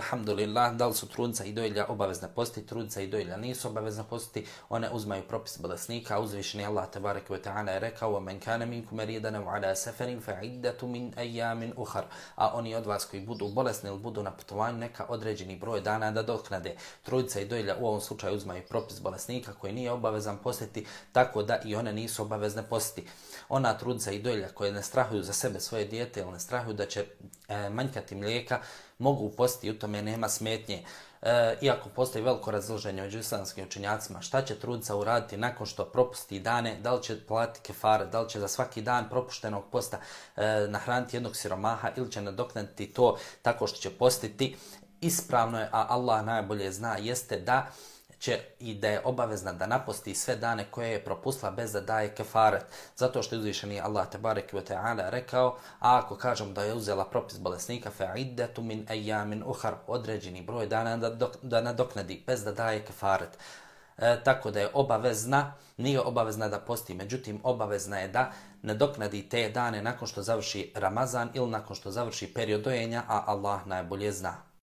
alhamdulillah, da li su trudnica i dojilja obavezne postiti, trudnica i dojilja nisu obavezne postiti, one uzmaju propis bolesnika, uzvišeni Allah tebareke ve ta'ala je rekao: "Wa kana minkum maridan aw ala safarin fa iddatu min ayamin ukhar." A oni od vas koji budu bolesni ili budu na putovanju, neka određeni broj dana da doknade. Trudnica i dojilja u ovom slučaju uzmaju propis bolesnika koji nije obavezan postiti, tako da i one nisu obavezne postiti. Ona trudnica i dojilja koje ne strahuju za sebe, svoje dijete, ili ne strahuju da će manjkati mlijeka, mogu postiti, u tome nema smetnje. Iako postoji veliko razilaženje među islamskim učenjacima, šta će trudnica uraditi nakon što propusti dane, da li će platiti kefare, da li će za svaki dan propuštenog posta nahraniti jednog siromaha ili će nadoknaditi to tako što će postiti. Ispravno je, a Allah najbolje zna, jeste da će i da je obavezna da naposti sve dane koje je propustila bez da daje kefaret. Zato što je uzvišeni Allah tebareke ve ta'ala rekao: "A ako kažem da je uzela propis bolesnika, fa iddatu min ayamin ukhar", određeni broj dana da nadoknadi bez da daje kefaret. Tako da je obavezna, nije obavezna da posti, međutim obavezna je da nadoknadi te dane nakon što završi Ramazan ili nakon što završi period dojenja, a Allah najbolje zna.